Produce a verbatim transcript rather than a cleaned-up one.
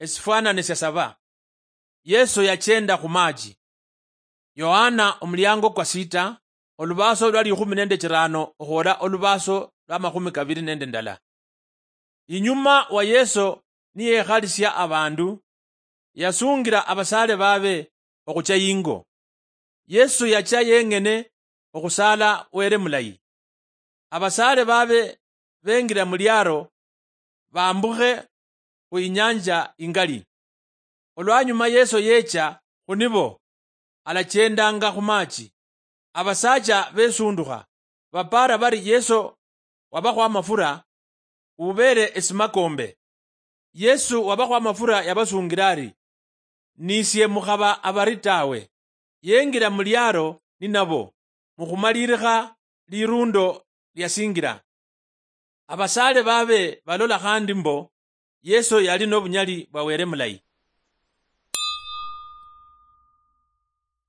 esifwanane sya saba. Yesu yachenda khu maachi. Yohana omuliango kwa sita, olubaaso lwa likhumi nende chirano okhwola olubaaso lwa makhumi kabili nende ndala. Inyuma wa Yesu niyekhalisia abandu, yasungira abasaale babe okhucha yingo. Yesu yacha yeng'ene okhusaala Wele mulayi. Abasaale babe bengira muliaro bambukhe khu inyanja ingali. Olwanyuma Yesu yecha khunibo, alachendanga khu maachi. Abasaacha besundukha, bapaara bari Yesu wabakhwa amafura, ubeere esimakombe. Yesu wabakhwa amafura yabasungira ari, "Nisie mukhaba abari tawe." Yengira muliaro ninabo, mukhumalirikha lirundo liasingira. Abasaale babe balola khandi mbo Yesu yali nobunyali bwa Wele mulayi.